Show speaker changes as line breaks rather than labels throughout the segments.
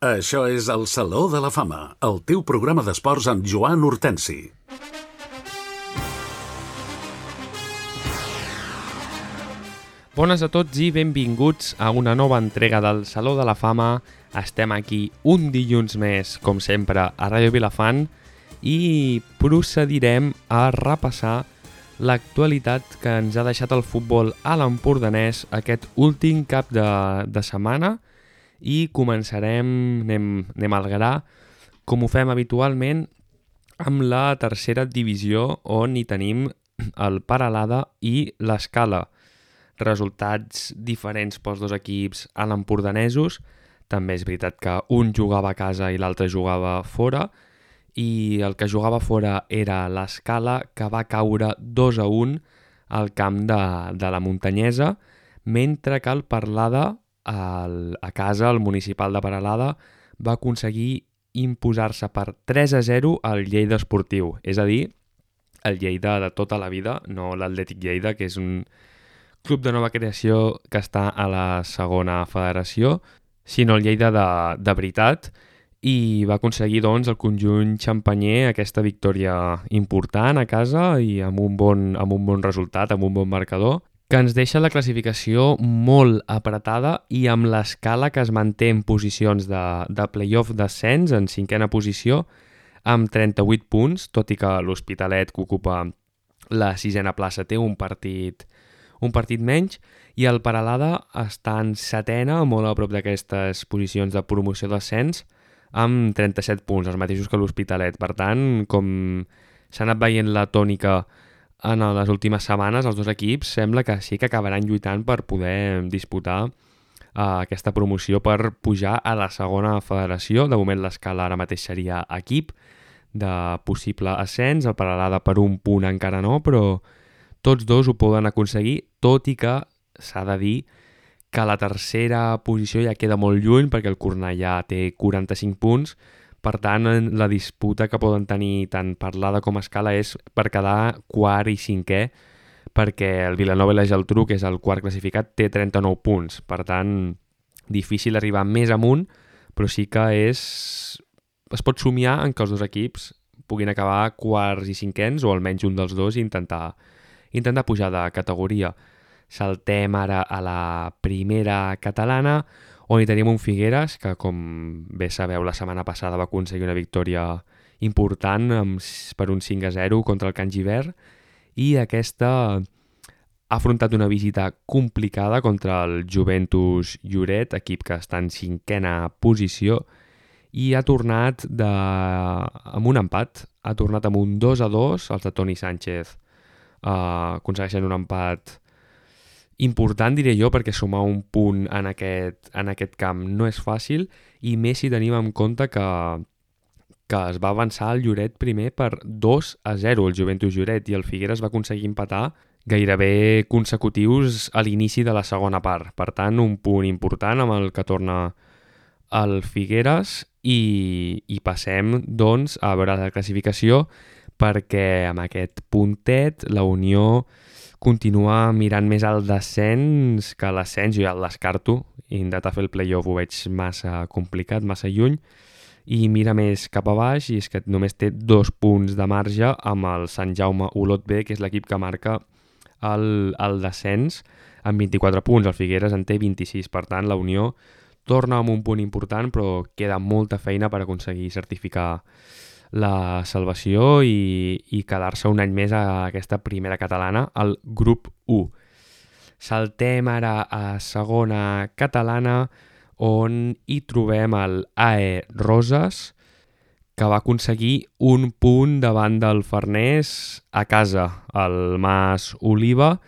Això és el Saló de la Fama, el teu programa d'esports amb Joan Hortensi.
Bones a tots i benvinguts a una nova entrega del Saló de la Fama. Estem aquí un dilluns més, com sempre, a Ràdio Vilafant i procedirem a repassar l'actualitat que ens ha deixat el futbol a l'Empordanès aquest últim cap de setmana i començarem, anem al gra, com ho fem habitualment, amb la tercera divisió on hi tenim el Peralada i l'Escala. Resultats diferents pels dos equips a l'empordanesos. També és veritat que un jugava a casa i l'altre jugava fora, i el que jugava fora era l'Escala, que va caure 2-1 al camp de la Muntanyesa, mentre que el Peralada, a casa, el municipal de Peralada, va aconseguir imposar-se per 3-0 al Lleida Esportiu. És a dir, el Lleida de tota la vida, no l'Atlètic Lleida, que és un club de nova creació que està a la segona federació, sinó el Lleida de veritat, i va aconseguir doncs el conjunt xampanyer aquesta victòria important a casa i amb un bon resultat, amb un bon marcador, que ens deixa la classificació molt apretada i amb l'Escala que es manté en posicions de play-off d'ascens en cinquena posició amb 38 punts, tot i que l'Hospitalet, que ocupa la sisena plaça, té un partit menys, i el Peralada està en setena, molt a prop d'aquestes posicions de promoció d'ascens, amb 37 punts, els mateixos que l'Hospitalet. Per tant, com s'ha anat veient la tònica en les últimes setmanes, els dos equips sembla que sí que acabaran lluitant per poder disputar aquesta promoció per pujar a la segona federació. De moment l'Escala ara mateix seria equip de possible ascens, el Peralada per un punt encara no, però tots dos ho poden aconseguir, tot i que s'ha de dir que la tercera posició ja queda molt lluny perquè el Cornellà té 45 punts, per tant la disputa que poden tenir tant Peralada com Escala és per quedar quart i cinquè, perquè el Vilanova i la Geltrú, que és el quart classificat, té 39 punts, per tant difícil arribar més amunt, però sí que es pot somiar en que els dos equips puguin acabar quarts i cinquens, o almenys un dels dos, i intentar pujar de categoria. Saltem ara a la primera catalana, on hi tenim un Figueres que, com bé sabeu, la setmana passada va aconseguir una victòria important per un 5-0 contra el Can Givert, i aquesta ha afrontat una visita complicada contra el Juventus Lloret, equip que està en cinquena posició, i ha tornat amb un empat, ha tornat amb un 2-2, els de Toni Sánchez aconsegueixen un empat important, diré jo, perquè sumar un punt en aquest camp no és fàcil, i més si tenim en compte que es va avançar el Lloret primer per 2-0, el Juventus Lloret, i el Figueres va aconseguir empatar gairebé consecutius a l'inici de la segona part. Per tant, un punt important amb el que torna el Figueres, i passem doncs a veure la classificació, perquè amb aquest puntet la Unió continua mirant més al descens que a l'ascens. Jo ja el descarto, intentar fer el play-off ho veig massa complicat, massa lluny, i mira més cap a baix, i és que només té 2 punts de marge amb el Sant Jaume Olot B, que és l'equip que marca el descens, amb 24 punts. El Figueres en té 26, per tant la Unió torna amb un punt important, però queda molta feina per aconseguir certificar la salvació i quedar-se un any més a aquesta primera catalana, al grup 1. Saltem ara a segona catalana, on hi trobem el AE Roses, que va aconseguir un punt davant del Farners a casa, el Mas Oliva,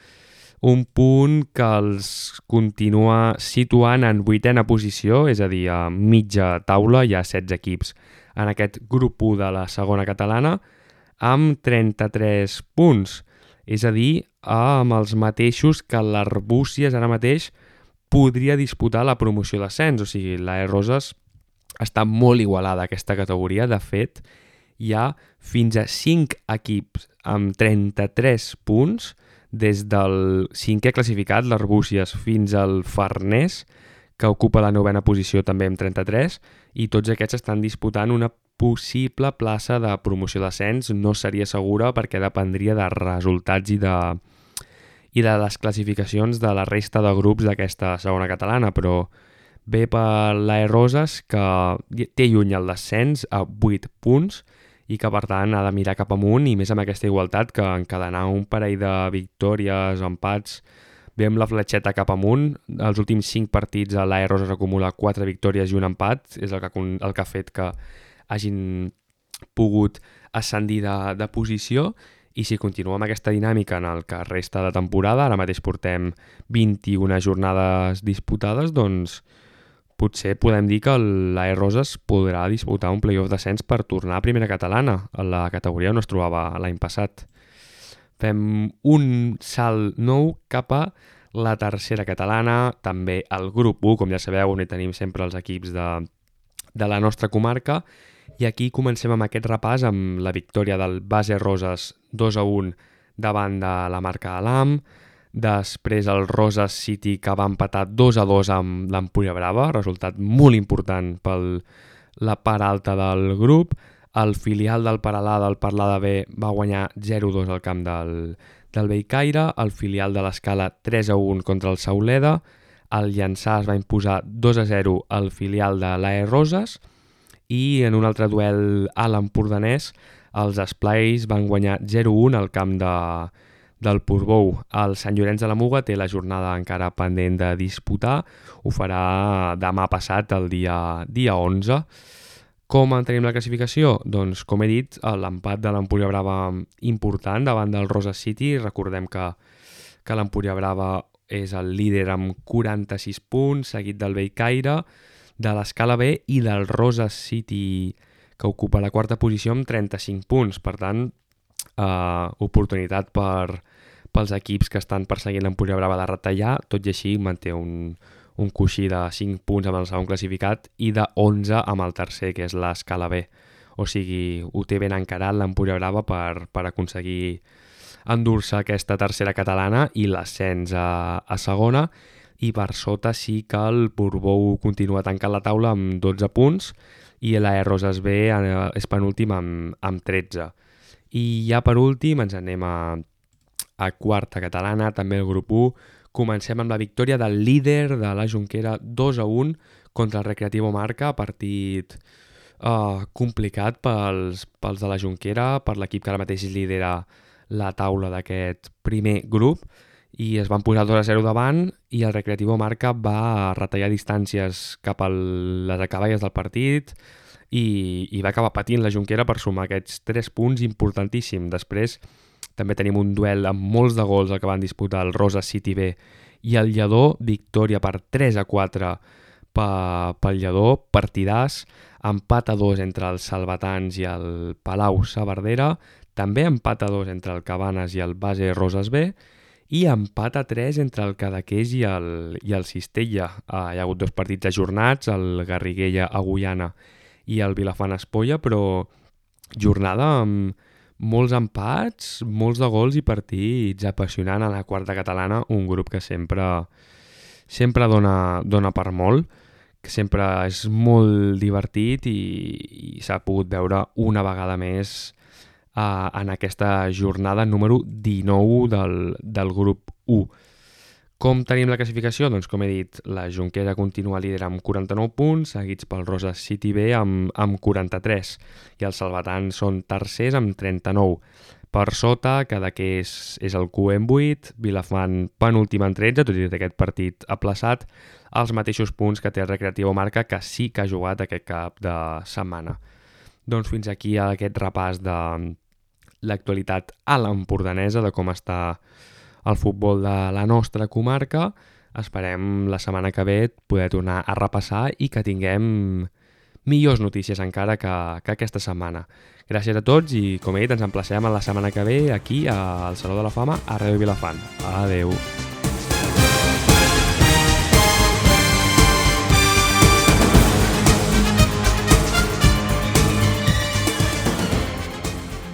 un punt que els continua situant en 8a posició, és a dir, a mitja taula. Hi ha 16 equips en aquest grup 1 de la segona catalana, amb 33 punts, és a dir, amb els mateixos que l'Arbúcies ara mateix podria disputar la promoció d'ascens. O sigui, l'AE Roses està molt igualada a aquesta categoria. De fet, hi ha fins a 5 equips amb 33 punts, des del 5è classificat, l'Arbúcies, fins al Farners, que ocupa la 9a posició també amb 33, i tots aquests estan disputant una possible plaça de promoció d'ascens. No seria segura perquè dependria de resultats i de les classificacions de la resta de grups d'aquesta segona catalana, però ve per l'AE Roses, que té lluny el descens a 8 punts i que per tant ha de mirar cap amunt, i més amb aquesta igualtat que encadenar un parell de victòries o empats ve amb la fletxeta cap amunt. Els últims 5 partits a l'AE Roses acumula 4 victòries i un empat, és el que ha fet que hagin pogut ascendir de posició, i si continua amb aquesta dinàmica en el que resta de temporada, ara mateix portem 21 jornades disputades, doncs potser podem dir que l'AE Roses podrà disputar un play-off d'ascens per tornar a primera catalana, a la categoria on es trobava l'any passat. Fem un salt nou cap a la tercera catalana, també al grup 1, com ja sabeu, on hi tenim sempre els equips de la nostra comarca, i aquí comencem amb aquest repàs amb la victòria del Base Roses 2-1 davant de la Marca Alam, després el Roses City, que va empatar 2-2 amb l'Empúria Brava, resultat molt important per la part alta del grup. El filial del Paralada, el Parlada B, va guanyar 0-2 al camp del Bellcaire, el filial de l'Escala 3-1 contra el Sauleda, el Llançà es va imposar 2-0 al filial de l'AE Roses, i en un altre duel a l'Empordanès els Esplais van guanyar 0-1 al camp del Portbou. El Sant Llorenç de la Muga té la jornada encara pendent de disputar, ho farà demà passat, el dia 11. Com en tenim la classificació? Doncs, com he dit, l'empat de l'Empúria Brava important davant del Roses City. Recordem que l'Empúria Brava és el líder amb 46 punts, seguit del Bellcaire, de l'Escala B i del Roses City, que ocupa la quarta posició amb 35 punts. Per tant, oportunitat pels equips que estan perseguint l'Empúria Brava de retallar, tot i així manté un coixí de 5 punts amb el segon classificat i de 11 amb el tercer, que és l'Escala B. O sigui, ho té ben encarat l'Empúria Brava per aconseguir endur-se aquesta tercera catalana i l'ascens a segona, i per sota sí que el Portbou continua tancant la taula amb 12 punts i l'AE Roses B és penúltim amb 13. I ja per últim ens anem a quarta catalana, també el grup 1. Comencem amb la victòria del líder de la Jonquera 2-1 contra el Recreativo Marca, partit complicat pels de la Jonquera, per l'equip que ara mateix lidera la taula d'aquest primer grup, i es van posar 2-0 davant, i el Recreativo Marca va retallar distàncies cap a les acaballes del partit i va acabar patint la Jonquera per sumar aquests 3 punts importantíssims. Després també tenim un duel amb molts de gols, el que van disputar el Roses City B i el Lledó, victòria per 3-4 pel Lledó, partidàs, empat a 2 entre els salvatans i el Palau Saverdera, també empat a 2 entre el Cabanes i el Base Roses B, i empat a 3 entre el Cadaqués i el Cistella. Hi ha hagut 2 partits ajornats, el Garriguella Agullana i el Vilafant Espolla, però jornada amb molts empats, molts de gols i partits apassionant a la quarta catalana, un grup que sempre dona per molt, que sempre és molt divertit i s'ha pogut veure una vegada més en aquesta jornada número 19 del grup 1. Com tenim la classificació? Doncs com he dit, la Jonquera continua líder amb 49 punts, seguits pel Roses City B amb 43, i els salvatans són tercers amb 39. Per sota, Cadaqués és el Q amb 8, Vilafant penúltim amb 13, tot i aquest partit aplaçat, els mateixos punts que té el Recreativo Marca, que sí que ha jugat aquest cap de setmana. Doncs fins aquí aquest repàs de l'actualitat a l'empordanesa, de com està el futbol de la nostra comarca. Esperem la setmana que ve poder tornar a repassar i que tinguem millors notícies encara que aquesta setmana. Gràcies a tots i, com he dit, ens emplacem a la setmana que ve aquí al Saló de la Fama a Ràdio Vilafant. Adeu!